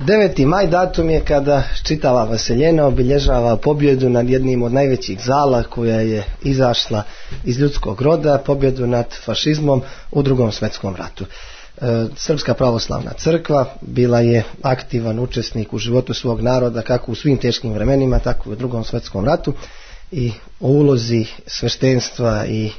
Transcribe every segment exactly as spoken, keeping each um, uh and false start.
deveti maj datum je kada čitava Vaseljena obilježava pobjedu nad jednim od najvećih zala koja je izašla iz ljudskog roda, pobjedu nad fašizmom u Drugom svjetskom ratu. Srpska pravoslavna crkva bila je aktivan učesnik u životu svog naroda kako u svim teškim vremenima, tako i u Drugom svjetskom ratu, i o ulozi sveštenstva i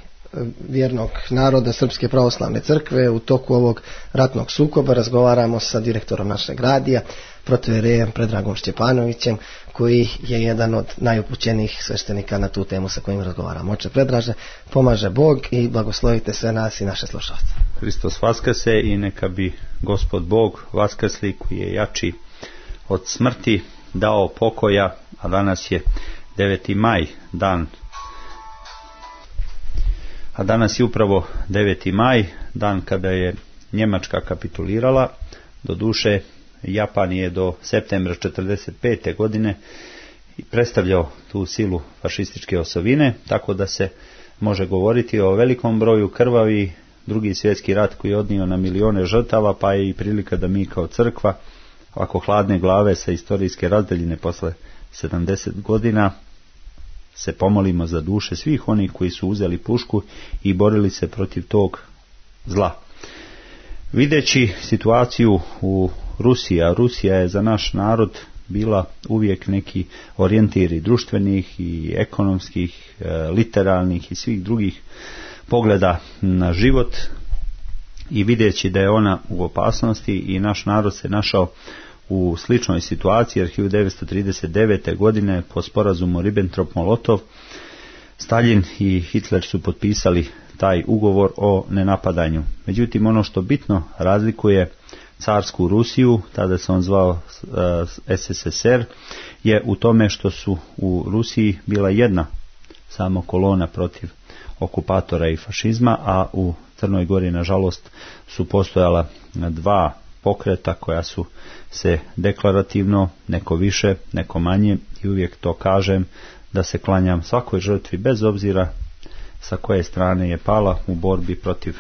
vjernog naroda Srpske pravoslavne crkve u toku ovog ratnog sukoba razgovaramo sa direktorom našeg radija, protoijerejem Predragom Šćepanovićem, koji je jedan od najupućenijih sveštenika na tu temu sa kojim razgovaramo. Oče Predraže, pomaže Bog i blagoslovite sve nas i naše slušalce. Hristos vaskrse i neka bi Gospod Bog vaskrsli, koji je jači od smrti, dao pokoja, a danas je deveti maj, dan A danas je upravo deveti maj, dan kada je Njemačka kapitulirala. Doduše, Japan je do septembra četrdeset pete godine predstavljao tu silu fašističke osovine, tako da se može govoriti o velikom broju krvavi. Drugi svjetski rat koji je odnio na milione žrtava, pa je i prilika da mi kao crkva, ovako hladne glave sa istorijske razdaljine posle sedamdeset godina, se pomolimo za duše svih onih koji su uzeli pušku i borili se protiv tog zla. Videći situaciju u Rusiji, a Rusija je za naš narod bila uvijek neki orijentiri društvenih i ekonomskih, literalnih i svih drugih pogleda na život, i videći da je ona u opasnosti i naš narod se našao u sličnoj situaciji, jer hiljadu devetsto trideset devete. godine po sporazumu Ribbentrop-Molotov Stalin i Hitler su potpisali taj ugovor o nenapadanju. Međutim, ono što bitno razlikuje carsku Rusiju, tada se on zvao uh, S S S R, je u tome što su u Rusiji bila jedna samo kolona protiv okupatora i fašizma, a u Crnoj Gori nažalost su postojala dva pokreta koja su se deklarativno, neko više, neko manje, i uvijek to kažem da se klanjam svakoj žrtvi bez obzira sa koje strane je pala u borbi protiv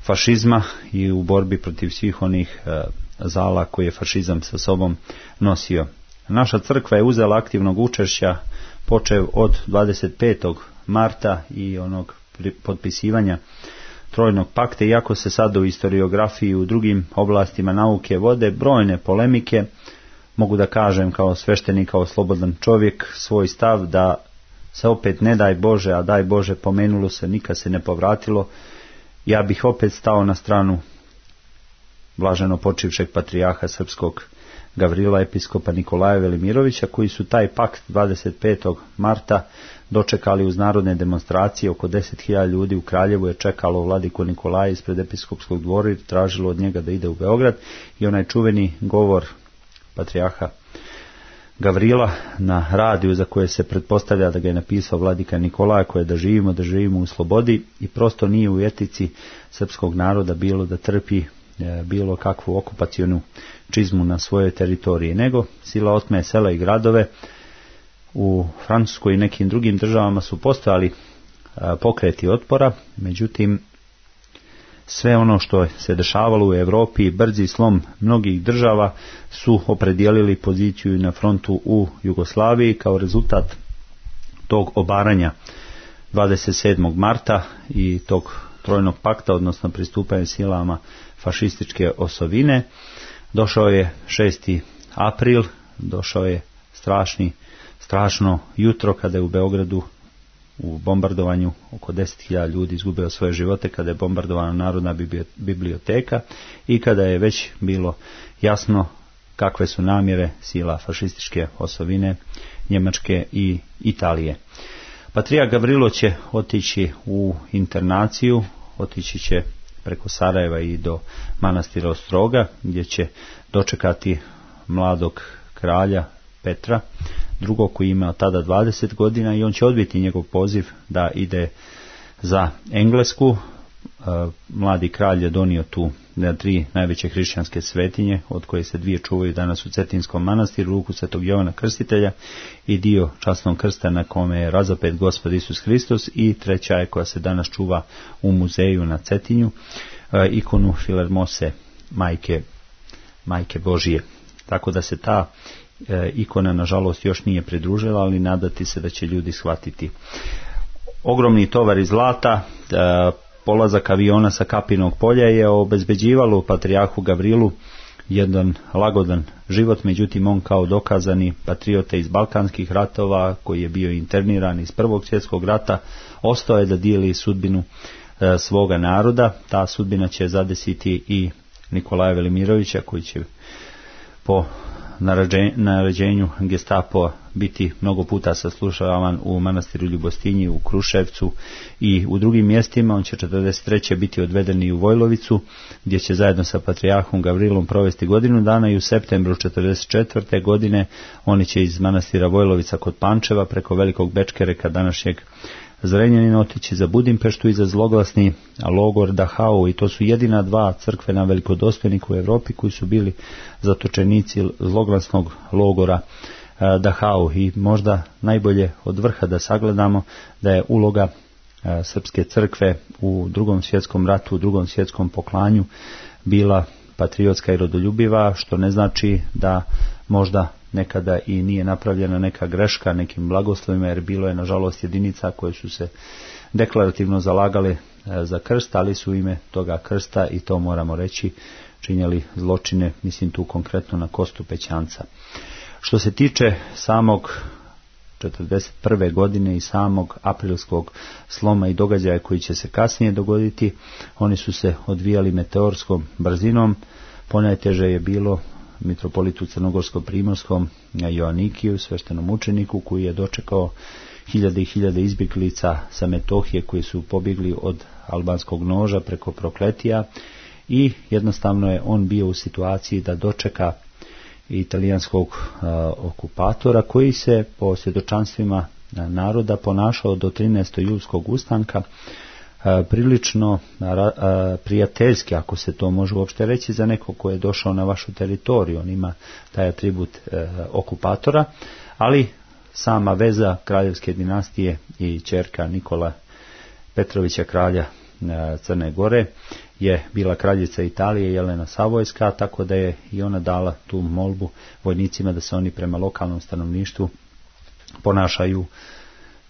fašizma i u borbi protiv svih onih e, zala koje je fašizam sa sobom nosio. Naša crkva je uzela aktivnog učešća počev od dvadeset petog marta i onog potpisivanja Trojnog pakta, iako se sad u historiografiji i u drugim oblastima nauke vode brojne polemike, mogu da kažem kao sveštenik, kao slobodan čovjek, svoj stav da se opet ne daj Bože, a daj Bože pomenulo se, nikad se ne povratilo. Ja bih opet stao na stranu blaženo počivšeg patrijarha srpskog Gavrila, episkopa Nikolaja Velimirovića, koji su taj pakt dvadeset petog marta dočekali uz narodne demonstracije. Oko deset hiljada ljudi u Kraljevu je čekalo vladiku Nikolaja ispred episkopskog dvora i tražilo od njega da ide u Beograd, i onaj čuveni govor patrijarha Gavrila na radiju, za koje se pretpostavlja da ga je napisao vladika Nikolaja, koje da živimo, da živimo u slobodi, i prosto nije u etici srpskog naroda bilo da trpi bilo kakvu okupacionu čizmu na svojoj teritoriji, nego sila otme sela i gradove. U Francuskoj i nekim drugim državama su postojali pokreti otpora, međutim sve ono što se dešavalo u Europi, brzi slom mnogih država, su opredijelili poziciju na frontu u Jugoslaviji. Kao rezultat tog obaranja dvadeset sedmog marta i tog Trojnog pakta, odnosno pristupanja silama fašističke osovine, došao je šesti april, došao je strašni, strašno jutro kada je u Beogradu u bombardovanju oko deset hiljada ljudi izgubilo svoje živote, kada je bombardovana Narodna biblioteka i kada je već bilo jasno kakve su namjere sila fašističke osovine Njemačke i Italije. Patrijarh Gavrilo će otići u internaciju, otići će preko Sarajeva i do manastira Ostroga, gdje će dočekati mladog kralja Petra drugog, koji ima tada dvadeset godina, i on će odbiti njegov poziv da ide za Englesku. Mladi kralj je donio tu tri najveće hrišćanske svetinje, od koje se dvije čuvaju danas u Cetinskom manastiru, ruku Svetog Jovana Krstitelja i dio časnog krsta na kome je razapet Gospod Isus Hristos, i treća je koja se danas čuva u muzeju na Cetinju, ikonu Filermose, majke, majke Božije. tako da se ta e, ikona nažalost još nije pridružila, ali nadati se da će ljudi shvatiti. Ogromni tovari zlata, e, polazak aviona sa Kapinog polja je obezbeđivalo patrijarhu Gavrilu jedan lagodan život, međutim on kao dokazani patriota iz Balkanskih ratova, koji je bio interniran iz Prvog svjetskog rata, ostao je da dijeli sudbinu e, svoga naroda. Ta sudbina će zadesiti i Nikolaja Velimirovića, koji će po naređenju Gestapo biti mnogo puta saslušavan u manastiru Ljubostinji, u Kruševcu i u drugim mjestima. On će četrdeset treće biti odveden i u Vojlovicu, gdje će zajedno sa patrijarhom Gavrilom provesti godinu dana, i u septembru četrdeset četvrte godine oni će iz manastira Vojlovica kod Pančeva preko Velikog Bečkereka, današnjeg Zrenjanina, otići za Budimpeštu i za zloglasni logor Dachau, i to su jedina dva crkvena velikodostojnika u Europi koji su bili zatočenici zloglasnog logora Dachau. I možda najbolje od vrha da sagledamo da je uloga srpske crkve u Drugom svjetskom ratu, u Drugom svjetskom poklanju bila patriotska i rodoljubiva, što ne znači da možda nekada i nije napravljena neka greška nekim blagoslovima, jer bilo je nažalost jedinica koje su se deklarativno zalagale za krst, ali su ime toga krsta, i to moramo reći, činjeli zločine, mislim tu konkretno na Kostu Pećanca. Što se tiče samog četrdeset prve godine i samog aprilskog sloma i događaja koji će se kasnije dogoditi, oni su se odvijali meteorskom brzinom. Ponajteže je bilo mitropolitu crnogorsko-primorskom Joanikiju, sveštenom učeniku, koji je dočekao hiljade i hiljade izbjeglica sa Metohije koji su pobjegli od albanskog noža preko Prokletija, i jednostavno je on bio u situaciji da dočeka italijanskog uh, okupatora, koji se po svjedočanstvima naroda ponašao do trinaestog julskog ustanka prilično prijateljski, ako se to može uopšte reći za neko ko je došao na vašu teritoriju. On ima taj atribut e, okupatora, ali sama veza kraljevske dinastije i ćerka Nikola Petrovića, kralja e, Crne Gore, je bila kraljica Italije Jelena Savojska, tako da je i ona dala tu molbu vojnicima da se oni prema lokalnom stanovništvu ponašaju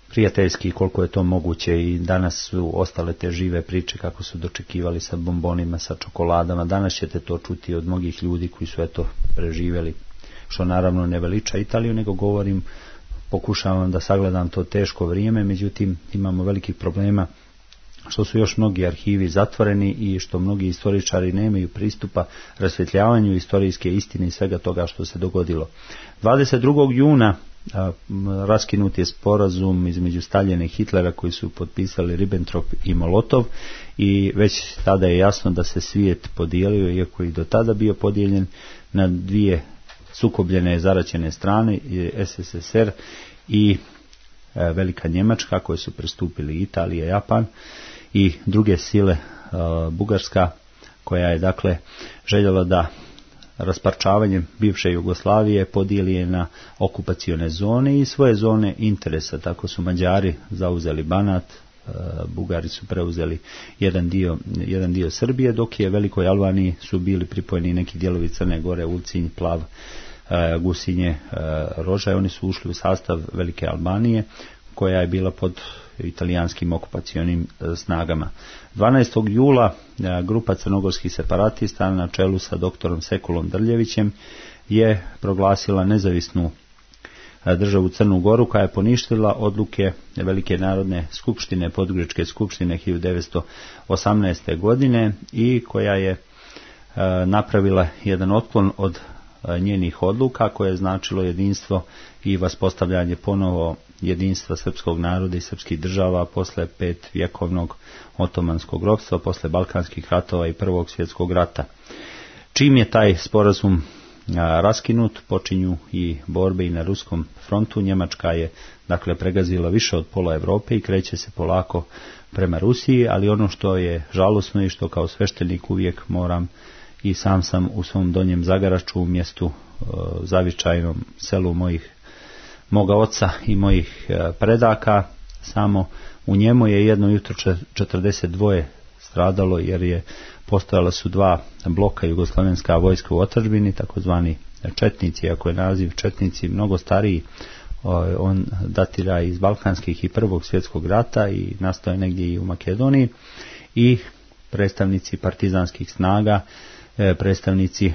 prijateljski koliko je to moguće. I danas su ostale te žive priče kako su dočekivali sa bombonima, sa čokoladama. Danas ćete to čuti od mnogih ljudi koji su eto preživjeli, što naravno ne veliča Italiju, nego govorim, pokušavam da sagledam to teško vrijeme, međutim imamo velikih problema što su još mnogi arhivi zatvoreni i što mnogi istoričari nemaju pristupa rasvjetljavanju istorijske istine i svega toga što se dogodilo. dvadeset drugog juna A, raskinut je sporazum između Staljina i Hitlera, koji su potpisali Ribbentrop i Molotov, i već tada je jasno da se svijet podijelio, iako i do tada bio podijeljen na dvije sukobljene zaraćene strane, S S S R i e, Velika Njemačka, koje su pristupili Italija, Japan i druge sile, e, Bugarska, koja je dakle željela da rasparčavanjem bivše Jugoslavije podijeli je na okupacione zone i svoje zone interesa. Tako su Mađari zauzeli Banat, Bugari su preuzeli jedan dio, jedan dio Srbije, dok je Velikoj Albaniji su bili pripojeni neki dijelovi Crne Gore, Ulcinj, Plav, Gusinje, Rožaj. Oni su ušli u sastav Velike Albanije, koja je bila pod italijanskim okupacionim snagama. dvanaestog jula grupa crnogorskih separatista na čelu sa doktorom Sekulom Drljevićem je proglasila nezavisnu državu Crnu Goru, koja je poništila odluke Velike narodne skupštine, Podgoričke skupštine hiljadu devetsto osamnaeste. godine, i koja je napravila jedan otklon od njenih odluka, koje je značilo jedinstvo i vaspostavljanje ponovo jedinstva srpskog naroda i srpskih država posle pet vjekovnog otomanskog ropstva, posle Balkanskih ratova i Prvog svjetskog rata. Čim je taj sporazum a, raskinut, počinju i borbe i na ruskom frontu. Njemačka je dakle pregazila više od pola Europe i kreće se polako prema Rusiji, ali ono što je žalosno i što kao sveštenik uvijek moram, i sam sam u svom Donjem Zagaraču, u mjestu e, zavičajnom selu mojih moga oca i mojih e, predaka, samo u njemu je jedno jutro četrdeset dvoje stradalo jer je postojala su dva bloka jugoslavenska vojska u otadžbini, takozvani četnici, ako je naziv četnici mnogo stariji, on datira iz balkanskih i prvog svjetskog rata i nastao je negdje i u Makedoniji, i predstavnici partizanskih snaga, predstavnici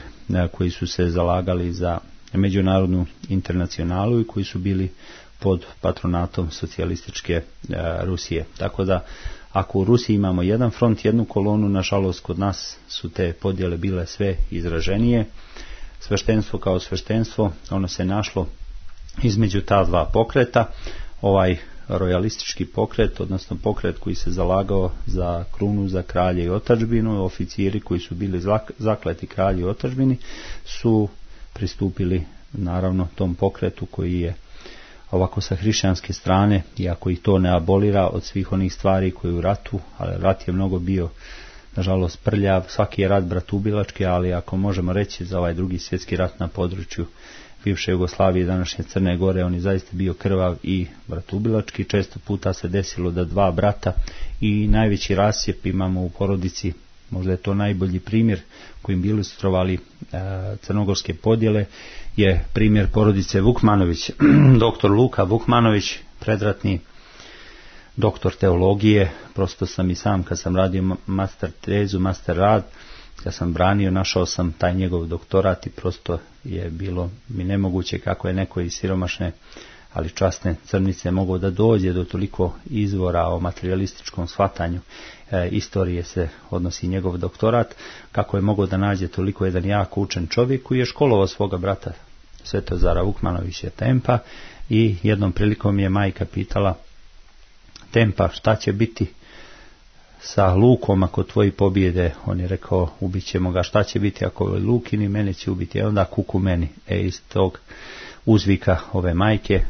koji su se zalagali za međunarodnu internacionalu i koji su bili pod patronatom socijalističke Rusije. Tako da ako u Rusiji imamo jedan front, jednu kolonu, nažalost kod nas su te podjele bile sve izraženije. Sveštenstvo kao sveštenstvo, ono se našlo između ta dva pokreta. Ovaj rojalistički pokret, odnosno pokret koji se zalagao za krunu, za kralje i otadžbinu, oficiri koji su bili zakleti kralji i otadžbini su pristupili naravno tom pokretu koji je ovako sa hrišćanske strane, iako ih to ne abolira od svih onih stvari koji u ratu, ali rat je mnogo bio nažalost prljav, svaki je rat bratubilački, ali ako možemo reći za ovaj drugi svjetski rat na području bivše Jugoslavije i današnje Crne Gore, on je zaista bio krvav i bratubilački. Često puta se desilo da dva brata i najveći rasjep imamo u porodici, možda je to najbolji primjer kojim bili ilustrovali e, crnogorske podjele, je primjer porodice Vukmanović. Doktor Luka Vukmanović, predratni doktor teologije, prosto sam i sam kad sam radio master tezu, master rad, kad sam branio, našao sam taj njegov doktorat i prosto je bilo mi nemoguće kako je neko iz siromašne, ali časne Crnice mogao da dođe do toliko izvora o materialističkom shvatanju e, istorije se odnosi njegov doktorat, kako je mogao da nađe toliko jedan jako učen čovjek koji je školovao svoga brata Svetozara Vukmanovića Tempa, i jednom prilikom je majka pitala Tempa, šta će biti sa Lukom ako tvoji pobjede? On je rekao, ubit ćemo ga. Šta će biti ako je Lukini? Mene će ubiti. E onda kuku meni. E iz tog uzvika ove majke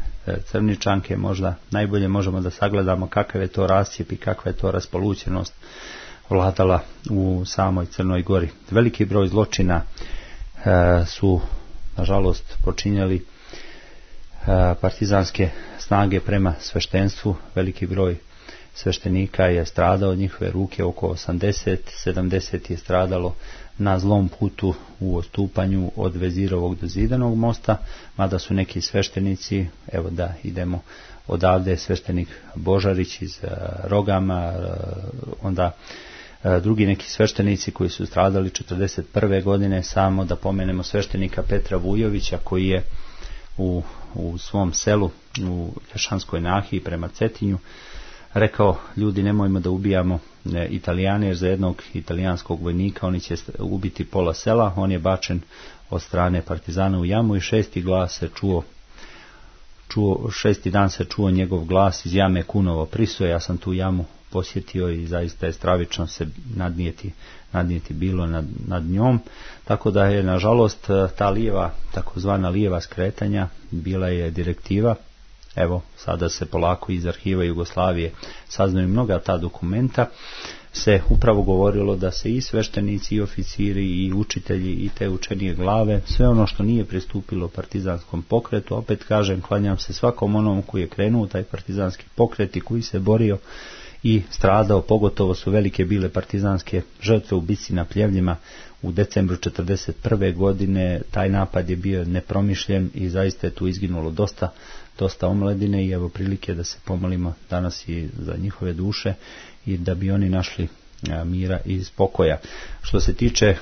Crničanke možda najbolje možemo da sagledamo kakav je to rascijep i kakva je to raspolućenost vladala u samoj Crnoj Gori. Veliki broj zločina e, su nažalost počinjali e, partizanske snage prema sveštenstvu. Veliki broj sveštenika je stradao od njihove ruke, oko osamdeset sedamdeset je stradalo na zlom putu u odstupanju od Vezirovog do Zidanog mosta, mada su neki sveštenici, evo da idemo odavde, sveštenik Božarić iz uh, Rogama, uh, onda uh, drugi neki sveštenici koji su stradali četrdeset prve godine, samo da pomenemo sveštenika Petra Vujovića koji je u, u svom selu u Lješanskoj Nahiji prema Cetinju rekao, ljudi, nemojmo da ubijamo e, Italijane, jer za jednog italijanskog vojnika oni će ubiti pola sela. On je bačen od strane partizana u jamu i šesti glas se čuo, čuo šesti dan se čuo njegov glas iz jame Kunovo Priso. Ja sam tu jamu posjetio i zaista je stravično se nadnijeti, nadnijeti bilo nad, nad njom. Tako da je nažalost ta lijeva, takozvana lijeva skretanja bila je direktiva. Evo, sada se polako iz arhiva Jugoslavije saznaju mnoga ta dokumenta, se upravo govorilo da se i sveštenici, i oficiri, i učitelji, i te učenije glave, sve ono što nije pristupilo partizanskom pokretu, opet kažem, klanjam se svakom onom koji je krenuo taj partizanski pokret i koji se borio i stradao, pogotovo su velike bile partizanske žrtve u bici na Pljevljima u decembru četrdeset prve godine. Taj napad je bio nepromišljen i zaista je tu izginulo dosta dosta omladine i evo prilike da se pomolimo danas i za njihove duše i da bi oni našli a, mira i spokoja. Što se tiče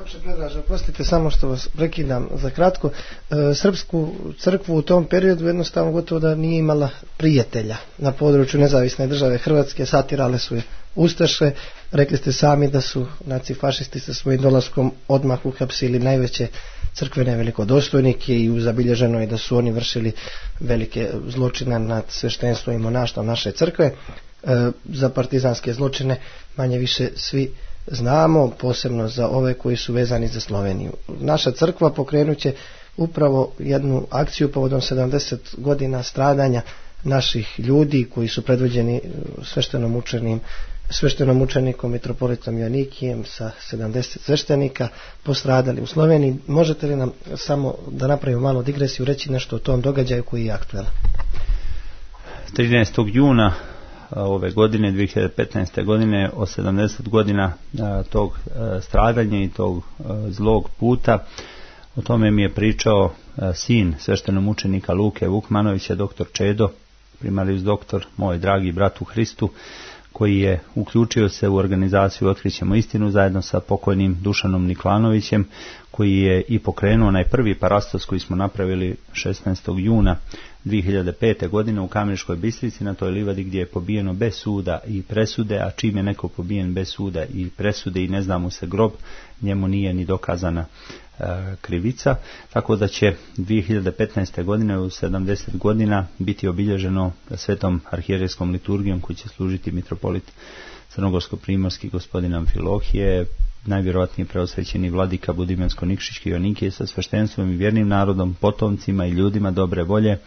Oče Predraže, prostite samo što vas prekidam za kratko. E, srpsku crkvu u tom periodu jednostavno gotovo da nije imala prijatelja na području nezavisne države Hrvatske, satirale su je ustaše. Rekli ste sami da su nacifašisti sa svojim dolaskom odmah uhapsili najveće crkvene velikodostojnike i zabilježeno je da su oni vršili velike zločine nad sveštenstvom i monaštvom naše crkve. E, za partizanske zločine manje više svi znamo, posebno za ove koji su vezani za Sloveniju. Naša crkva pokrenut će upravo jednu akciju povodom sedamdeset godina stradanja naših ljudi koji su predvođeni sveštenom učenim sveštenom učenikom mitropolitom Joanikijem sa sedamdeset sveštenika postradali u Sloveniji. Možete li nam samo da napravimo malu digresiju, reći nešto o tom događaju koji je aktualan? trinaestog juna ove godine, dvije hiljade petnaeste. godine, o sedamdeset godina tog stradanja i tog zlog puta. O tome mi je pričao sin sveštenomučenika Luke Vukmanovića, doktor Čedo, primarius doktor, moj dragi brat u Hristu, koji je uključio se u organizaciju Otkrićemo istinu zajedno sa pokojnim Dušanom Niklanovićem, koji je i pokrenuo onaj prvi parastos koji smo napravili šesnaestog juna dvije hiljade pete. godine u Kameniškoj Bistrici, na toj livadi gdje je pobijeno bez suda i presude, a čim je neko pobijen bez suda i presude i ne zna mu se grob, njemu nije ni dokazana e, krivica, tako da će dvije hiljade petnaeste. godine u sedamdeset godina biti obilježeno svetom arhijerejskom liturgijom koji će služiti mitropolit crnogorsko-primorski gospodin Amfilohije, najvjerojatnije preosvećeni vladika Budimansko-Nikšićki Joanikije sa sveštenstvom i vjernim narodom, potomcima i ljudima dobre volje,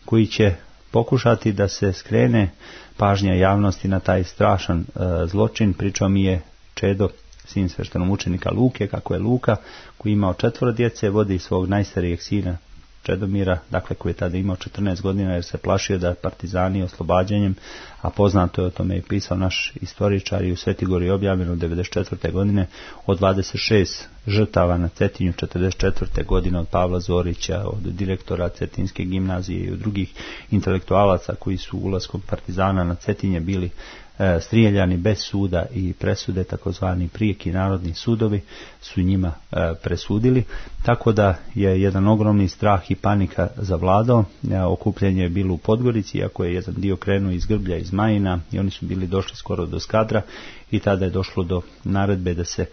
koji će pokušati da se skrene pažnja javnosti na taj strašan e, zločin. Pričao mi je Čedo, sin sveštenomučenika Luke, kako je Luka, koji je imao četvoro djece, vodi svog najstarijeg sina Čedomira, dakle koji je tada imao četrnaest godina, jer se plašio da partizani oslobađanjem, a poznato je, o tome je pisao naš istoričar i u Svetigori objavljeno devedeset četvrte. godine, od dvadeset šest žrtava na Cetinju četrdeset četvrte. godine, od Pavla Zorića, od direktora Cetinske gimnazije i od drugih intelektualaca koji su ulaskom partizana na Cetinje bili e, strijeljani bez suda i presude, takozvani prijeki narodni sudovi su njima e, presudili, tako da je jedan ogromni strah i panika zavladao. E, okupljanje je bilo u Podgorici, iako je jedan dio krenuo iz Grblja, iz Majina, i oni su bili došli skoro do Skadra, i tada je došlo do naredbe da se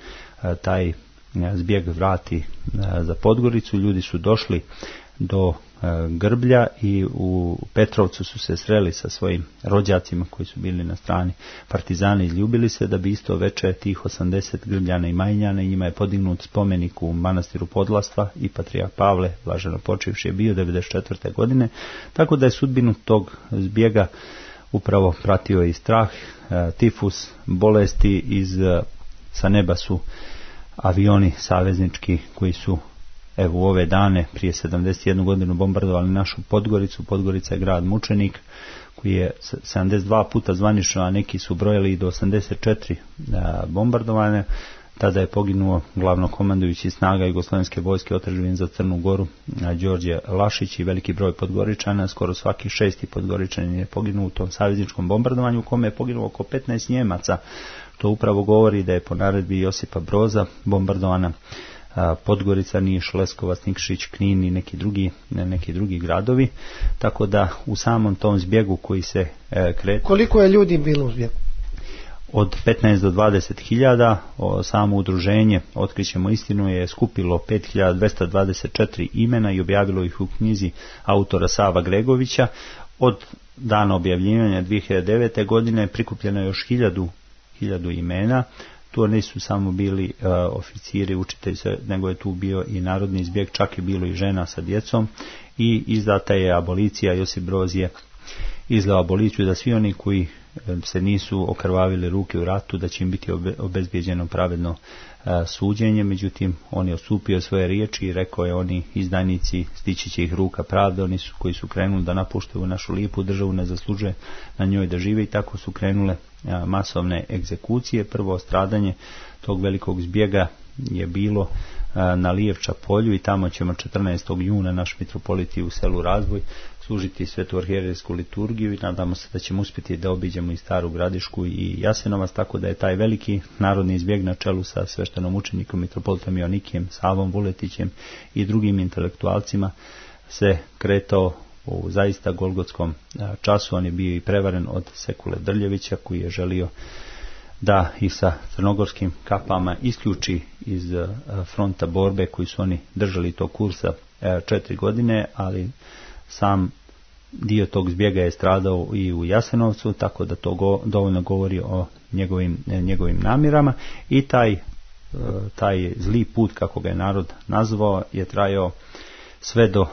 e, taj zbjeg vrati za Podgoricu. Ljudi su došli do Grblja i u Petrovcu su se sreli sa svojim rođacima koji su bili na strani partizana i ljubili se, da bi isto veče tih osamdeset Grbljana i Majnjana, i njima je podignut spomenik u manastiru Podlastva, i patrijarh Pavle, blaženo počivši, je bio devedeset četvrte. godine, tako da je sudbinu tog zbjega upravo pratio i strah, tifus, bolesti. Iz sa neba su avioni saveznički koji su evo u ove dane prije sedamdeset jednu godinu bombardovali našu Podgoricu. Podgorica je grad mučenik koji je sedamdeset dva puta zvanično, a neki su brojali i do osamdeset četiri bombardovane. Tada je poginuo glavnokomandujući snaga Jugoslovenske vojske otadžbine za Crnu Goru Đorđe Lašić i veliki broj Podgoričana, skoro svaki šesti Podgoričanin je poginuo u tom savezničkom bombardovanju, u kome je poginulo oko petnaest Njemaca. To upravo govori da je po naredbi Josipa Broza bombardovana Podgorica, Niš, Leskovac, Nikšić, Knin i neki drugi, neki drugi gradovi, tako da u samom tom zbjegu koji se e, kreta... Koliko je ljudi bilo u zbjegu? Od petnaest do dvadeset hiljada. Samo udruženje Otkrićemo istinu je skupilo pet hiljada dvesta dvadeset četiri imena i objavilo ih u knjizi autora Sava Gregovića. Od dana objavljivanja dvije hiljade devete. godine prikupljeno je još hiljadu, hiljadu imena. Tu nisu samo bili uh, oficiri, učitelji, nego je tu bio i narodni zbjeg, čak je bilo i žena sa djecom, i izdata je abolicija. Josip Broz je izdao aboliciju da svi oni koji se nisu okrvavili ruke u ratu, da će im biti obezbijeđeno pravedno uh, suđenje. Međutim, on je odstupio svoje riječi i rekao je, oni izdajnici, stići će ih ruka pravde, oni su koji su krenuli da napuštaju našu lijepu državu, ne zaslužuje na njoj da žive, i tako su krenule uh, masovne egzekucije. Prvo stradanje tog velikog zbjega je bilo uh, na Lijevča polju, i tamo ćemo četrnaestog juna naš mitropolit u selu Razvoj služiti svetu arhijerejsku liturgiju, i nadamo se da ćemo uspjeti da obiđemo i Staru Gradišku i Jasenovac, tako da je taj veliki narodni zbjeg na čelu sa sveštenom učenikom mitropolitom Joanikijem, Savom Vuletićem i drugim intelektualcima se kretao u zaista golgotskom času. On je bio i prevaren od Sekule Drljevića, koji je želio da ih sa crnogorskim kapama isključi iz fronta borbe koji su oni držali tog kursa četiri godine, ali sam dio tog zbjega je stradao i u Jasenovcu, tako da to go, dovoljno govori o njegovim, njegovim namjerama. I taj, taj zli put, kako ga je narod nazvao, je trajao sve do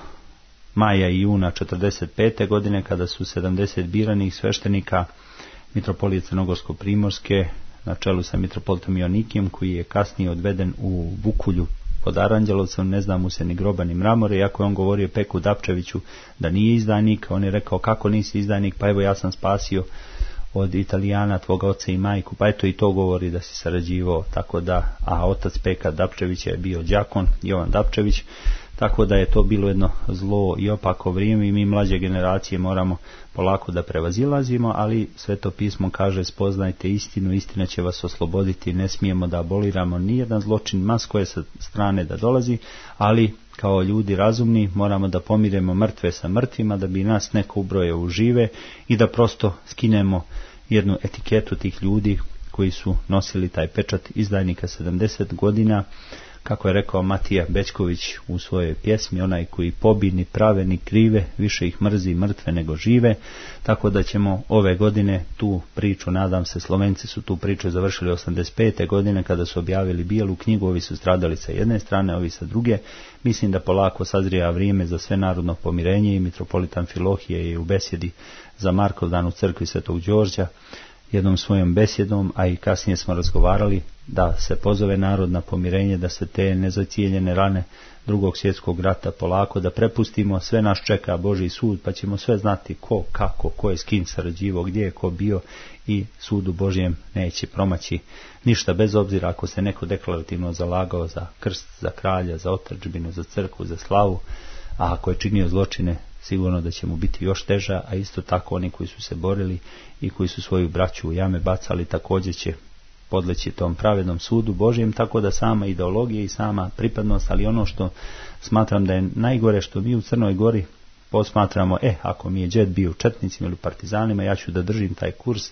maja i juna četrdeset pete. godine, kada su sedamdeset biranih sveštenika mitropolije Crnogorsko-primorske na čelu sa mitropolitom Joanikijem, koji je kasnije odveden u Bukulju pod Aranđelovcem, ne zna mu se ni groba ni mramore, iako je on govorio Peku Dapčeviću da nije izdajnik. On je rekao, kako nisi izdajnik, pa evo ja sam spasio od Italijana tvoga oca i majku, pa eto i to govori da si sarađivao, tako da, a otac Peka Dapčević je bio đakon, Jovan Dapčević, tako da je to bilo jedno zlo i opako vrijeme i mi mlađe generacije moramo polako da prevazilazimo, ali Sveto pismo kaže spoznajte istinu, istina će vas osloboditi, ne smijemo da aboliramo nijedan zločin, ma s koje sa strane da dolazi, ali kao ljudi razumni moramo da pomiremo mrtve sa mrtvima, da bi nas neko ubrojao u žive i da prosto skinemo jednu etiketu tih ljudi koji su nosili taj pečat izdajnika sedamdeset godina, kako je rekao Matija Bećković u svojoj pjesmi, onaj koji pobi ni prave ni krive, više ih mrzi mrtve nego žive, tako da ćemo ove godine tu priču, nadam se, Slovenci su tu priču završili osamdeset pete godine kada su objavili bijelu knjigu, ovi su stradali sa jedne strane, ovi sa druge. Mislim da polako sazrija vrijeme za sve narodno pomirenje i mitropolitan Filohije je u besjedi za Markovdan u crkvi Svetog Đorđa jednom svojom besjedom, a i kasnije smo razgovarali da se pozove narod na pomirenje, da se te nezocijeljene rane drugog svjetskog rata polako da prepustimo, sve nas čeka Božji sud, pa ćemo sve znati ko, kako, ko je s kim sarađivao, gdje je ko bio i sudu Božjem neće promaći ništa, bez obzira ako se neko deklarativno zalagao za krst, za kralja, za otadžbinu, za crkvu, za slavu, a ako je činio zločine, sigurno da će mu biti još teža, a isto tako oni koji su se borili i koji su svoju braću u jame bacali također će podleći tom pravednom sudu Božjem, tako da sama ideologija i sama pripadnost, ali ono što smatram da je najgore što mi u Crnoj Gori posmatramo, e, ako mi je džed bio u četnicima ili partizanima, ja ću da držim taj kurs.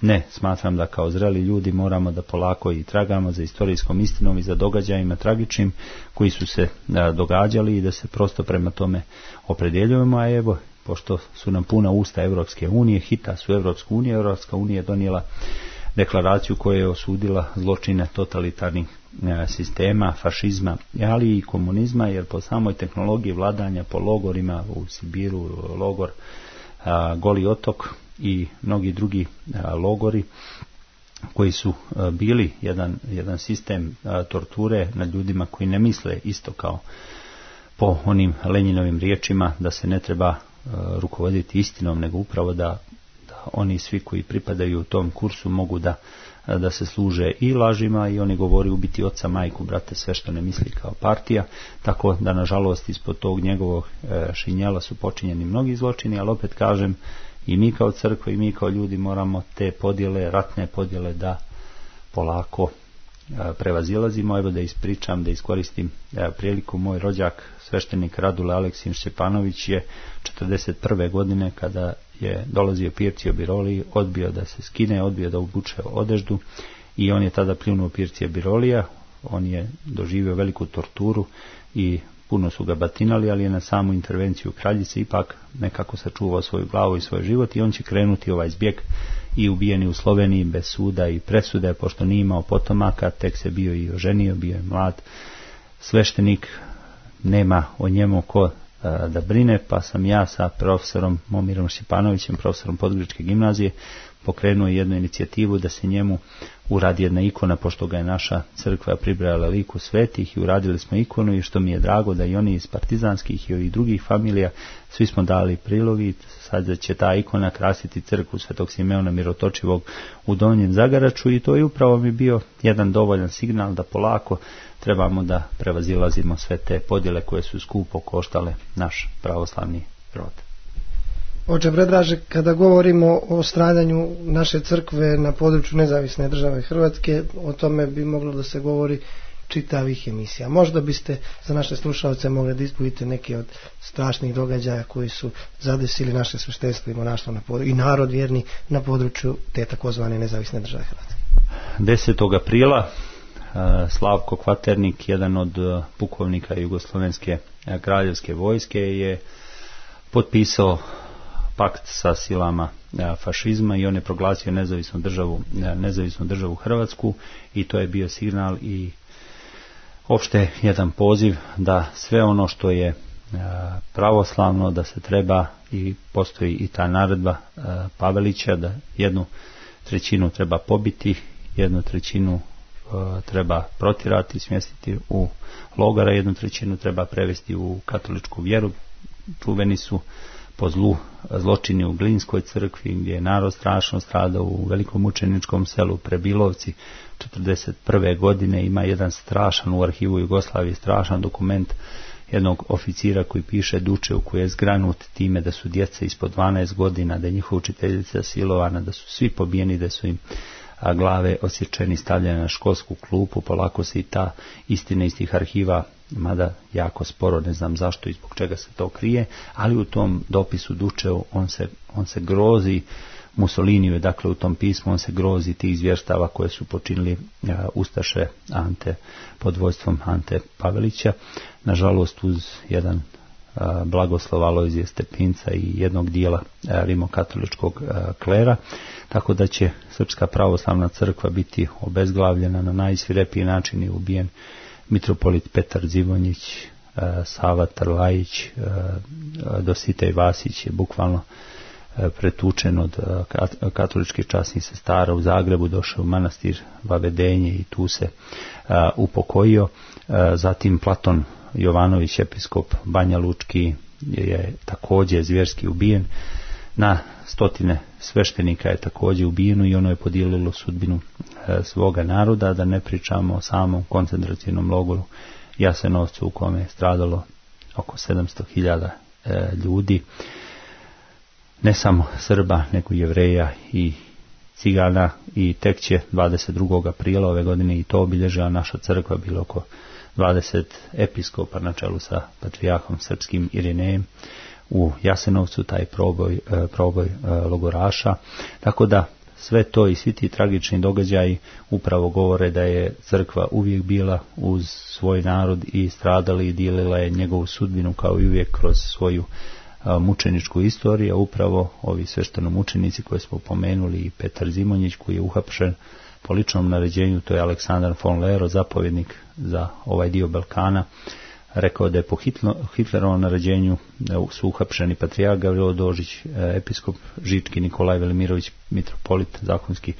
Ne, smatram da kao zreli ljudi moramo da polako i tragamo za istorijskom istinom i za događajima tragičnim koji su se a, događali i da se prosto prema tome opredjeljujemo, a evo, pošto su nam puna usta Evropske unije, hita su Evropsku uniju, Evropska unija je donijela deklaraciju koja je osudila zločine totalitarnih a, sistema, fašizma, ali i komunizma, jer po samoj tehnologiji vladanja po logorima u Sibiru, logor a, Goli otok i mnogi drugi a, logori koji su a, bili jedan, jedan sistem a, torture nad ljudima koji ne misle isto kao po onim Lenjinovim riječima da se ne treba a, rukovoditi istinom, nego upravo da, da oni svi koji pripadaju u tom kursu mogu da, a, da se služe i lažima i oni govori ubiti oca, majku, brate, sve što ne misli kao partija, tako da nažalost ispod tog njegovog a, šinjela su počinjeni mnogi zločini, ali opet kažem, i mi kao crkva i mi kao ljudi moramo te podjele, ratne podjele da polako a, prevazilazimo. Evo da ispričam, da iskoristim a, priliku, moj rođak sveštenik Radule Aleksin Šćepanović je četrdeset prve godine kada je dolazio Pircio Biroliji, odbio da se skine, odbio da obuče odeždu i on je tada pljunuo Pircija Birolija, on je doživio veliku torturu i puno su ga batinali, ali je na samu intervenciju kraljice ipak nekako sačuvao svoju glavu i svoj život i on će krenuti ovaj zbjeg i ubijeni u Sloveniji bez suda i presude, pošto nije imao potomaka, tek se bio i oženio, bio je mlad sveštenik, nema o njemu ko a, da brine, pa sam ja sa profesorom Momirom Šćepanovićem, profesorom Podgoričke gimnazije, pokrenuo jednu inicijativu da se njemu uradi jedna ikona, pošto ga je naša crkva pribrajala liku svetih i uradili smo ikonu i što mi je drago da i oni iz partizanskih i ovih drugih familija, svi smo dali prilogi, sad će ta ikona krasiti crkvu Svetog Simeona Mirotočivog u Donjem Zagaraču i to je upravo mi bio jedan dovoljan signal da polako trebamo da prevazilazimo sve te podjele koje su skupo koštale naš pravoslavni rod. Oče Predraže, kada govorimo o stradanju naše crkve na području nezavisne države Hrvatske, o tome bi moglo da se govori čitavih emisija. Možda biste za naše slušalce mogli da ispojite neke od strašnih događaja koji su zadesili naše sveštenstvo i monaštvo na području, i narod vjerni na području te takozvane nezavisne države Hrvatske. desetog aprila Slavko Kvaternik, jedan od pukovnika Jugoslovenske kraljevske vojske, je potpisao pakt sa silama fašizma i on je proglasio nezavisnu državu, nezavisnu državu Hrvatsku i to je bio signal i opšte jedan poziv da sve ono što je pravoslavno da se treba, i postoji i ta naredba Pavelića da jednu trećinu treba pobiti, jednu trećinu treba protirati, smjestiti u logora, jednu trećinu treba prevesti u katoličku vjeru. Čuveni su po zlu zločini u Glinskoj crkvi, gdje je narod strašno stradao, u velikom mučeničkom selu Prebilovci četrdeset prve godine. Ima jedan strašan u arhivu Jugoslavije, strašan dokument jednog oficira koji piše Dučev, koji je zgranut time da su djeca ispod dvanaest godina, da je njihova učiteljica silovana, da su svi pobijeni, da su im a glave osječeni, stavljene na školsku klupu. Polako se i ta istina iz tih arhiva, mada jako sporo, ne znam zašto i zbog čega se to krije, ali u tom dopisu Dučev on se, on se grozi Mussoliniju, dakle u tom pismu on se grozi tih zvjerstava koje su počinili uh, ustaše Ante pod vodstvom Ante Pavelića. Nažalost, uz jedan uh, blagoslov Alojzija Stepinca i jednog dijela uh, rimokatoličkog uh, klera, tako da će Srpska pravoslavna crkva biti obezglavljena na najsvirepiji način i ubijen mitropolit Petar Zivonjić, uh, Sava Trlajić, uh, Dositej Vasić je bukvalno pretučen od katoličkih časnih sestara u Zagrebu, došao u manastir Vavedenje i tu se a, upokojio. A, zatim Platon Jovanović, episkop Banja Lučki, je također zvjerski ubijen. Na stotine sveštenika je također ubijeno i ono je podijelilo sudbinu a, svoga naroda, da ne pričamo o samom koncentracijnom logoru Jasenovcu u kome je stradalo oko sedamsto hiljada ljudi. Ne samo Srba, nego Jevreja i Cigana, i tek će dvadeset drugog aprila ove godine i to obilježila naša crkva, bilo oko dvadeset episkopa na čelu sa patrijarhom srpskim Irinejem u Jasenovcu, taj proboj, proboj logoraša. Tako da sve to i svi ti tragični događaji upravo govore da je crkva uvijek bila uz svoj narod i stradala i dijelila je njegovu sudbinu kao i uvijek kroz svoju mučeničku istoriju. Upravo ovi sveštenomučenici koje smo pomenuli i Petar Zimonjić koji je uhapšen po ličnom naređenju, to je Aleksandar von Lero, zapovjednik za ovaj dio Balkana, rekao da je po Hitlerovom naređenju su uhapšeni patrijarh Gavrilo Dožić, episkop Žički Nikolaj Velimirović, mitropolit zakonski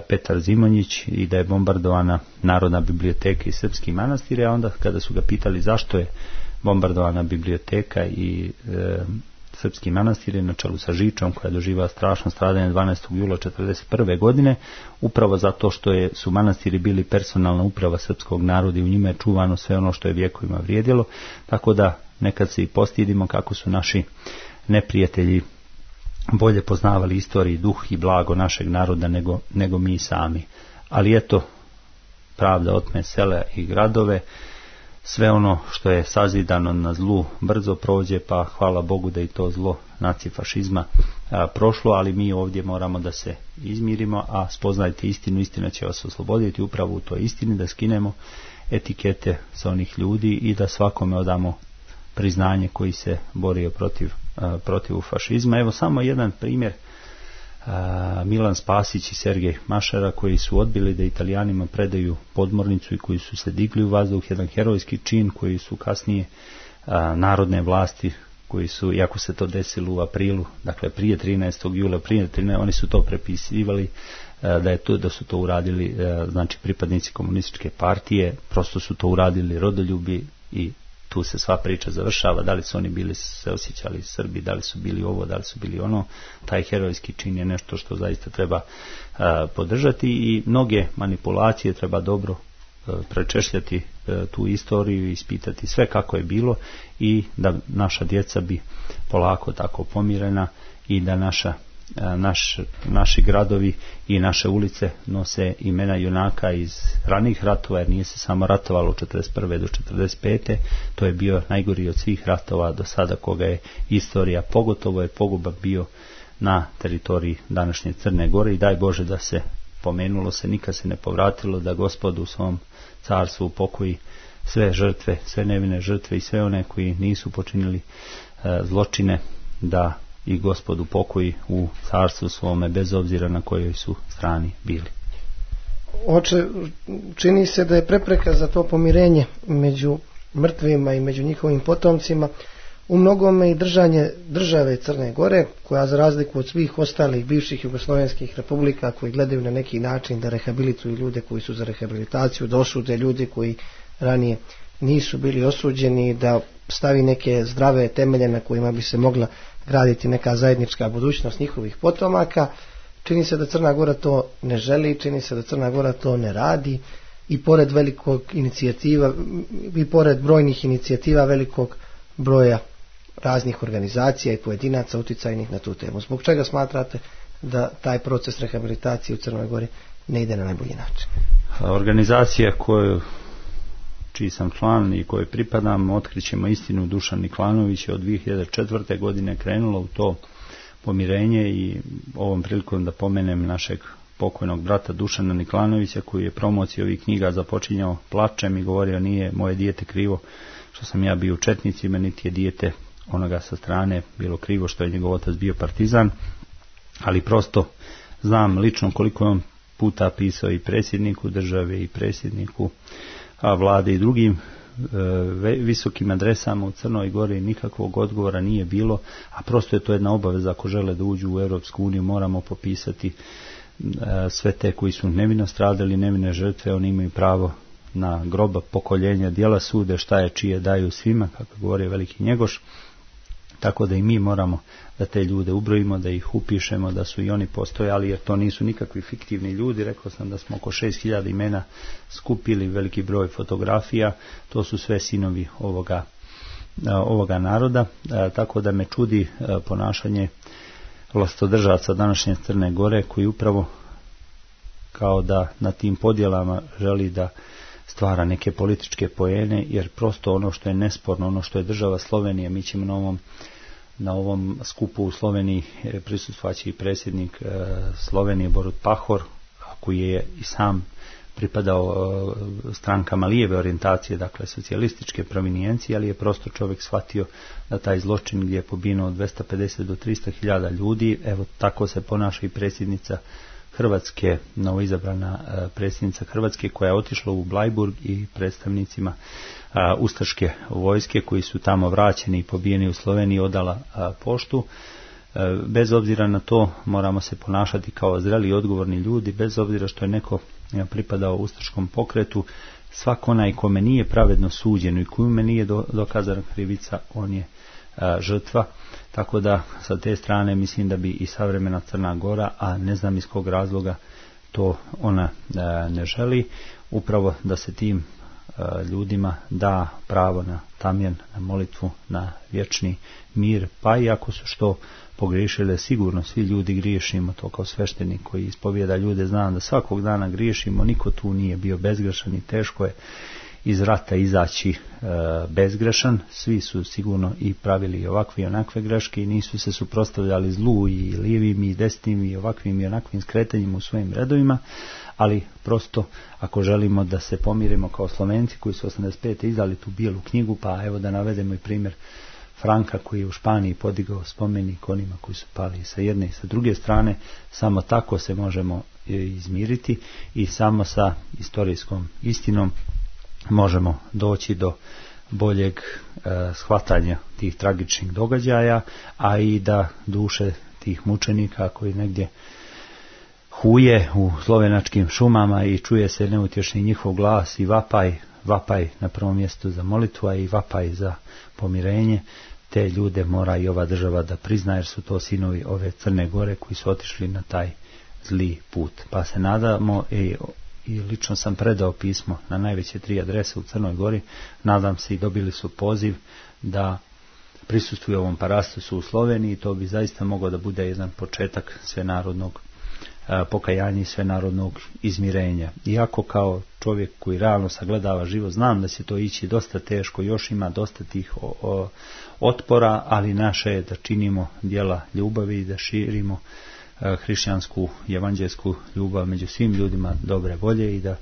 Petar Zimonjić, i da je bombardovana Narodna biblioteka i srpski manastir. A onda kada su ga pitali zašto je bombardovana biblioteka i e, srpski manastir na čelu sa Žičom, koja je doživjela strašno stradanje dvanaestog jula četrdeset prve godine, upravo zato što je, su manastiri bili personalna uprava srpskog naroda i u njima je čuvano sve ono što je vjekovima vrijedilo. Tako da nekad se i postidimo kako su naši neprijatelji bolje poznavali istoriju, duh i blago našeg naroda nego, nego mi sami. Ali eto, pravda otme sela i gradove. Sve ono što je sazidano na zlu brzo prođe, pa hvala Bogu da i to zlo nacifašizma a, prošlo, ali mi ovdje moramo da se izmirimo, a spoznajte istinu, istina će vas osloboditi. Upravo u toj istini da skinemo etikete sa onih ljudi i da svakome odamo priznanje koji se borio protiv, a, protiv fašizma. Evo samo jedan primjer. Milan Spasić i Sergej Mašara, koji su odbili da Italijanima predaju podmornicu i koji su se digli u vazduh, jedan herojski čin koji su kasnije a, narodne vlasti, koji su, iako se to desilo u aprilu, dakle prije trinaestog jula, prije trinaestog oni su to prepisivali a, da je to, da su to uradili a, znači pripadnici komunističke partije, prosto su to uradili rodoljubi i tu se sva priča završava. Da li su oni bili se osjećali Srbi, da li su bili ovo, da li su bili ono. Taj herojski čin je nešto što zaista treba a, podržati i mnoge manipulacije treba dobro a, prečešljati a, tu istoriju i ispitati sve kako je bilo i da naša djeca bi polako tako pomirena i da naša Naš, naši gradovi i naše ulice nose imena junaka iz ranih ratova, jer nije se samo ratovalo od četrdeset prve do četrdeset pete. To je bio najgori od svih ratova do sada koga je istorija, pogotovo je poguban bio na teritoriji današnje Crne Gore i daj Bože da se pomenulo se, nikad se ne povratilo, da Gospod u svom carstvu upokoji sve žrtve, sve nevine žrtve i sve one koji nisu počinili e, zločine, da i Gospod upokoji u carstvu svome, bez obzira na kojoj su strani bili. Oče, čini se da je prepreka za to pomirenje među mrtvima i među njihovim potomcima u mnogome i držanje države Crne Gore, koja za razliku od svih ostalih bivših jugoslovenskih republika koji gledaju na neki način da rehabilituju ljude koji su za rehabilitaciju, da osude ljude koji ranije nisu bili osuđeni, da stavi neke zdrave temelje na kojima bi se mogla graditi neka zajednička budućnost njihovih potomaka. Čini se da Crna Gora to ne želi, čini se da Crna Gora to ne radi i pored velikog inicijativa i pored brojnih inicijativa velikog broja raznih organizacija i pojedinaca uticajnih na tu temu. Zbog čega smatrate da taj proces rehabilitacije u Crnoj Gori ne ide na najbolji način? Organizacija koju čiji sam član i kojoj pripadam, Otkrićemo istinu, Dušan Niklanović je od dvije hiljade četvrte. godine krenulo u to pomirenje i ovom prilikom da pomenem našeg pokojnog brata Dušana Niklanovića koji je promociju ovih knjiga započinjao plačem i govorio nije moje dijete krivo što sam ja bio u četnicima, niti je dijete onoga sa strane bilo krivo što je njegov otac bio partizan, ali prosto znam lično koliko je on puta pisao i predsjedniku države i predsjedniku a vlade i drugim e, visokim adresama u Crnoj Gori, nikakvog odgovora nije bilo, a prosto je to jedna obaveza ako žele da uđu u Europsku uniju, moramo popisati e, sve te koji su nevino stradali, nevine žrtve, oni imaju pravo na groba, pokoljenja, djela sude, šta je čije daju svima, kako govori veliki Njegoš. Tako da i mi moramo da te ljude ubrojimo, da ih upišemo, da su i oni postojali, jer to nisu nikakvi fiktivni ljudi. Rekao sam da smo oko šest hiljada imena skupili, veliki broj fotografija, to su sve sinovi ovoga, ovoga naroda, tako da me čudi ponašanje vlastodržaca današnje Crne Gore, koji upravo kao da na tim podjelama želi da stvara neke političke poene, jer prosto ono što je nesporno, ono što je država Slovenije, mi ćemo na ovom, na ovom skupu u Sloveniji prisustvaći i predsjednik Slovenije Borut Pahor, koji je i sam pripadao strankama lijeve orijentacije, dakle socijalističke provinijencije, ali je prosto čovjek shvatio da taj zločin gdje je pobijeno od dvesta pedeset do trista hiljada ljudi, evo tako se ponaša i predsjednica Hrvatske, novoizabrana predsjednica Hrvatske koja je otišla u Blajburg i predstavnicima a, ustaške vojske koji su tamo vraćeni i pobijeni u Sloveniji odala a, poštu. A, bez obzira na to moramo se ponašati kao zreli i odgovorni ljudi, bez obzira što je neko ja, pripadao ustaškom pokretu, svak onaj kome nije pravedno suđeno i kome nije do, dokazana krivica, on je a, žrtva. Tako da sa te strane mislim da bi i savremena Crna Gora, a ne znam iz kog razloga to ona e, ne želi, upravo da se tim e, ljudima da pravo na tamjan, na molitvu, na vječni mir, pa i ako su što pogriješili, sigurno svi ljudi griješimo, to kao sveštenik koji ispovijeda ljude, znam da svakog dana griješimo, niko tu nije bio bezgrešan i teško je iz rata izaći e, bezgrešan, svi su sigurno i pravili ovakve i onakve greške i nisu se suprotstavljali zlu i lijevim i desnim i ovakvim i onakvim skretanjima u svojim redovima, ali prosto ako želimo da se pomirimo kao Slovenci koji su osamdeset pete izdali tu bijelu knjigu, pa evo da navedemo i primjer Franka koji je u Španiji podigao spomenik onima koji su pali sa jedne i sa druge strane, samo tako se možemo izmiriti i samo sa istorijskom istinom možemo doći do boljeg e, shvatanja tih tragičnih događaja, a i da duše tih mučenika koji negdje huje u slovenačkim šumama i čuje se neutješni njihov glas i vapaj, vapaj na prvom mjestu za molitvu, a i vapaj za pomirenje, te ljude mora i ova država da prizna, jer su to sinovi ove Crne Gore koji su otišli na taj zli put. Pa se nadamo i i lično sam predao pismo na najveće tri adrese u Crnoj Gori, nadam se i dobili su poziv da prisustvuju ovom parastosu u Sloveniji, to bi zaista mogao da bude jedan početak svenarodnog a, pokajanja i svenarodnog izmirenja. Iako kao čovjek koji realno sagledava život, znam da će to ići dosta teško, još ima dosta tih o, o, otpora, ali naše je da činimo djela ljubavi i da širimo hrišćansku i evanđelsku ljubav među svim ljudima dobre volje i da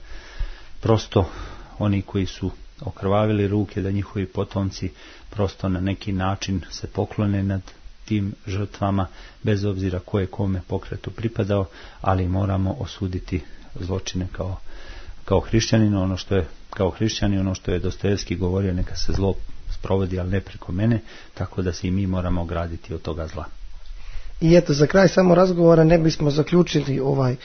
prosto oni koji su okrvavili ruke, da njihovi potomci prosto na neki način se poklone nad tim žrtvama, bez obzira koje kome pokretu pripadao, ali moramo osuditi zločine kao, kao hrišćanin, ono što je kao hrišćanin, ono što je Dostojevski govorio, neka se zlo sprovodi, ali ne preko mene, tako da se i mi moramo ograditi od toga zla. I eto, za kraj samo razgovora ne bismo zaključili ovaj,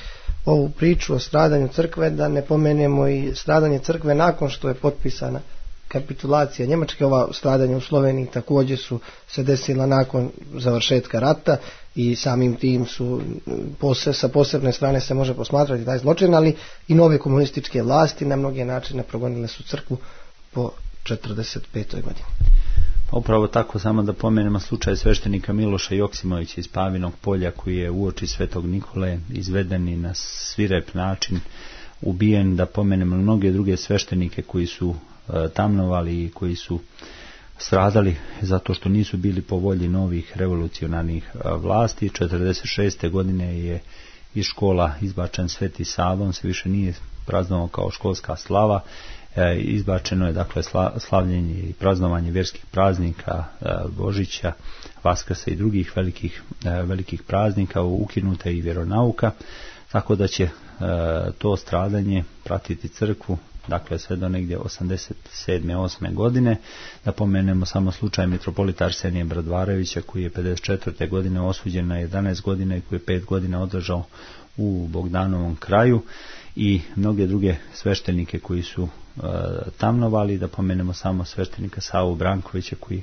ovu priču o stradanju crkve, da ne pomenemo i stradanje crkve nakon što je potpisana kapitulacija Njemačke, ova stradanja u Sloveniji također su se desila nakon završetka rata i samim tim su pose, sa posebne strane se može posmatrati taj zločin, ali i nove komunističke vlasti na mnoge načine progonile su crkvu po četrdeset petoj godini. Upravo tako, samo da pomenemo slučaj sveštenika Miloša Joksimovića iz Pavinog polja, koji je uoči Svetog Nikole izveden i na svirep način ubijen, da pomenemo mnoge druge sveštenike koji su e, tamnovali i koji su stradali zato što nisu bili po volji novih revolucionarnih e, vlasti. četrdeset šeste godine je iz škola izbačen Sveti Sava, on se više nije praznovao kao školska slava. E, izbačeno je dakle sla, slavljenje i praznovanje vjerskih praznika, e, Božića, Vaskrsa i drugih velikih, e, velikih praznika, ukinuta i vjeronauka, tako da će e, to stradanje pratiti crkvu dakle sve do negdje osamdeset sedme osme godine. Da pomenemo samo slučaj mitropolita Arsenija Bradvarevića, koji je pedeset četvrte godine osuđen na jedanaest godina i koji je pet godina održao u Bogdanovom kraju, i mnoge druge sveštenike koji su e, tamnovali. Da pomenemo samo sveštenika Savu Brankovića koji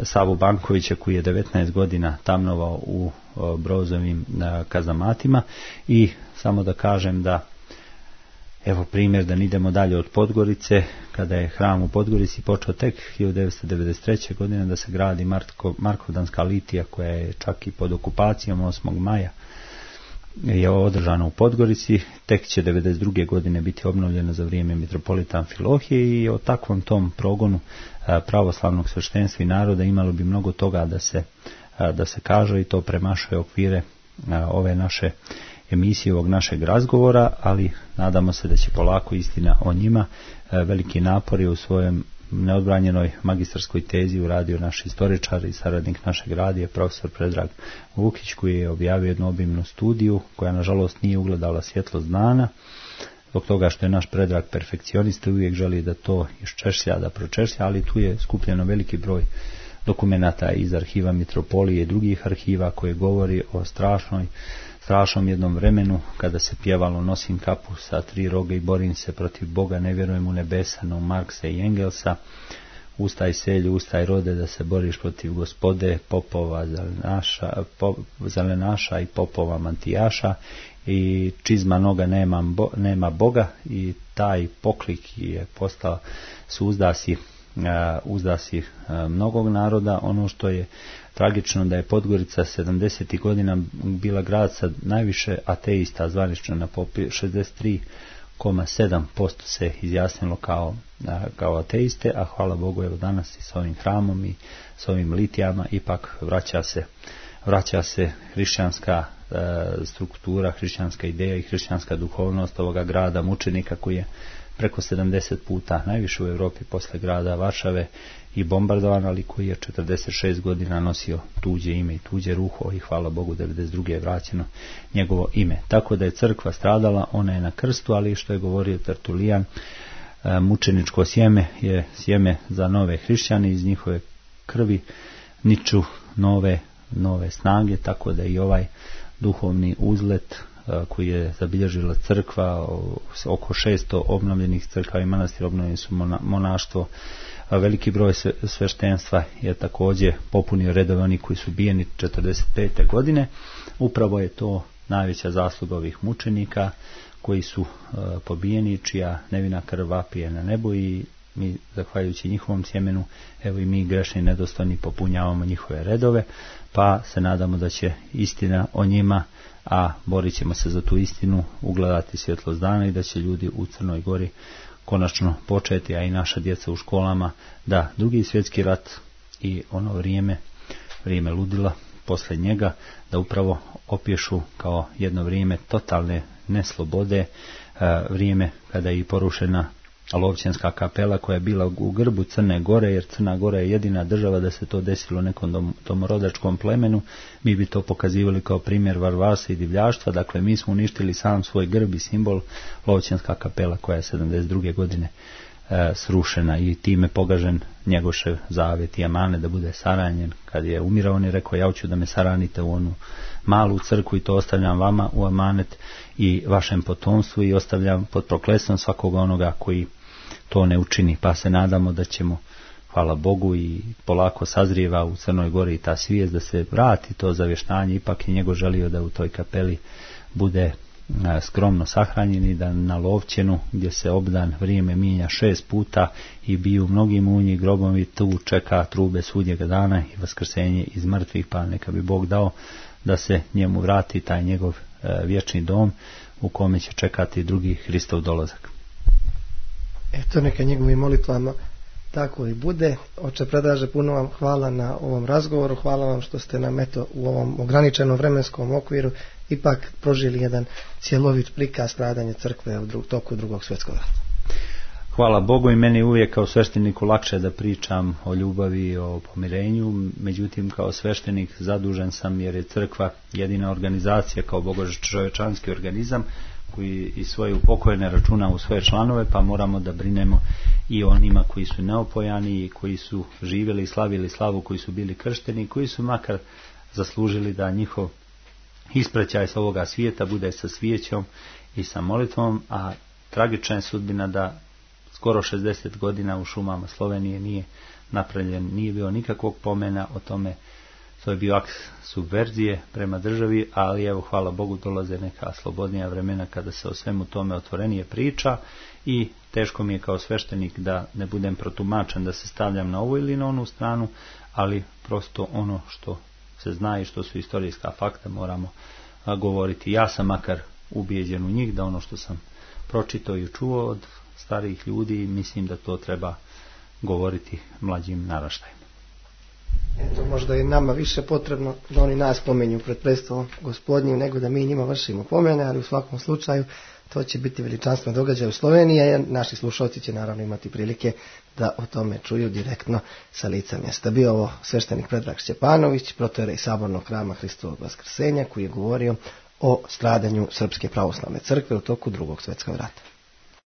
Savu Bankovića koji je devetnaest godina tamnovao u e, Brozovim e, kazamatima. I samo da kažem da, evo primjer, da ne idemo dalje od Podgorice, kada je hram u Podgorici počeo tek hiljadu devetsto devedeset treće godine da se gradi Marko, Markovdanska litija, koja je čak i pod okupacijom osmog maja je održana u Podgorici, tek će devedeset druge godine biti obnovljena za vrijeme mitropolita Amfilohije, i o takvom tom progonu pravoslavnog sveštenstva i naroda imalo bi mnogo toga da se, da se kaže, i to premašuje okvire ove naše emisije, ovog našeg razgovora, ali nadamo se da će polako istina o njima. Veliki napor je u svojem neodbranjenoj magistarskoj tezi uradio naš istoričar i saradnik našeg radija, profesor Predrag Vukić, koji je objavio jednu obimnu studiju koja nažalost nije ugledala svjetlost dana, zbog toga što je naš Predrag perfekcionista i uvijek želi da to iščešlja, da pročešlja, ali tu je skupljeno veliki broj dokumenata iz arhiva Mitropolije i drugih arhiva koje govori o strašnoj strašnom jednom vremenu kada se pjevalo Nosim kapu sa tri roga i borim se protiv Boga, ne vjerujem u nebesa, no Marksa i Engelsa, ustaj selju, ustaj rode da se boriš protiv gospode, popova zelenaša, pop, zelenaša i popova mantijaša, i čizma noga nema, bo, nema Boga, i taj poklik je postao su uzdasi, uh, uzdasi uh, mnogog naroda. Ono što je tragično da je Podgorica sedamdesetih godina bila grad sa najviše ateista, zvanično na popisu šezdeset tri zarez sedam posto se izjasnilo kao, kao ateiste, a hvala Bogu evo danas i s ovim hramom i s ovim litijama ipak vraća se, vraća se hrišćanska e, struktura, hrišćanska ideja i hrišćanska duhovnost ovoga grada mučenika koji je preko sedamdeset puta, najviše u Europi posle grada Varšave, i bombardovan, ali koji je četrdeset šest godina nosio tuđe ime i tuđe ruho, i hvala Bogu devedeset druge je vraćeno njegovo ime. Tako da je crkva stradala, ona je na krstu, ali što je govorio Tertulijan, mučeničko sjeme je sjeme za nove hrišćane, iz njihove krvi niču nove, nove snage, tako da i ovaj duhovni uzlet koji je zabilježila crkva, oko šesto obnovljenih crkava i manastira, obnovljeni su monaštvo, veliki broj sveštenstva je također popunio redove oni koji su bijeni četrdeset pete godine. Upravo je to najveća zasluga ovih mučenika koji su uh, pobijeni, čija nevina krv vapije na nebu, i mi, zahvaljujući njihovom sjemenu, evo i mi grešni nedostojni popunjavamo njihove redove, pa se nadamo da će istina o njima, a borit ćemo se za tu istinu, ugledati svjetlost dana, i da će ljudi u Crnoj Gori konačno početi, a i naša djeca u školama, da Drugi svjetski rat i ono vrijeme, vrijeme ludila posle njega, da upravo opješu kao jedno vrijeme totalne neslobode, vrijeme kada je i porušena Lovćenska kapela koja je bila u grbu Crne Gore, jer Crna Gora je jedina država da se to desilo nekom dom, domorodačkom plemenu. Mi bi to pokazivali kao primjer varvarstva i divljaštva. Dakle, mi smo uništili sam svoj grb i simbol, Lovćenska kapela koja je sedamdeset druge godine e, srušena, i time pogažen njegošev zavet i amane da bude saranjen. Kad je umirao, on je rekao: ja hoću da me saranite u onu malu crkvu i to ostavljam vama u amanet i vašem potomstvu, i ostavljam pod prokletstvom svakoga onoga koji to ne učini, pa se nadamo da ćemo, hvala Bogu, i polako sazrijeva u Crnoj Gori ta svijest da se vrati to zavještanje. Ipak je njegov želio da u toj kapeli bude skromno sahranjen i da na Lovćenu, gdje se obdan vrijeme mijenja šest puta i biju mnogi munji grobovi, tu čeka trube sudnjega dana i vaskrsenje iz mrtvih, pa neka bi Bog dao da se njemu vrati taj njegov vječni dom u kome će čekati drugi Hristov dolazak. Eto, neka njegovim molitvama tako i bude. Oče Predraže, puno vam hvala na ovom razgovoru, hvala vam što ste nam eto u ovom ograničenom vremenskom okviru ipak prožili jedan cjelovit prikaz stradanja crkve u drug, toku drugog svjetskog rata. Hvala Bogu, i meni uvijek kao svešteniku lakše da pričam o ljubavi i o pomirenju, međutim kao sveštenik zadužen sam jer je crkva jedina organizacija kao bogočovječanski organizam koji i svoje upokojene računa u svoje članove, pa moramo da brinemo i onima koji su neopojani i koji su živjeli i slavili slavu, koji su bili kršteni, koji su makar zaslužili da njihov ispraćaj s ovoga svijeta bude sa svijećom i sa molitvom, a tragična je sudbina da skoro šezdeset godina u šumama Slovenije nije napravljen, nije bilo nikakvog pomena o tome. To je bio akt subverzije prema državi, ali evo, hvala Bogu, dolaze neka slobodnija vremena kada se o svemu tome otvorenije priča i teško mi je kao sveštenik da ne budem protumačen, da se stavljam na ovu ili na onu stranu, ali prosto ono što se zna i što su istorijska fakta moramo govoriti. Ja sam makar ubijeđen u njih, da ono što sam pročitao i čuo od starijih ljudi, mislim da to treba govoriti mlađim naraštajima. Eto, možda je nama više potrebno da oni nas pomenju pred predstavom Gospodnjim nego da mi njima vršimo pomene, ali u svakom slučaju to će biti veličanstven događaj u Sloveniji, jer naši slušalci će naravno imati prilike da o tome čuju direktno sa lica mjesta. Bio ovo sveštenik Predrag Šćepanović, protojerej Sabornog hrama Hristovog vaskrsenja, koji je govorio o stradanju Srpske pravoslavne crkve u toku drugog svjetskog rata.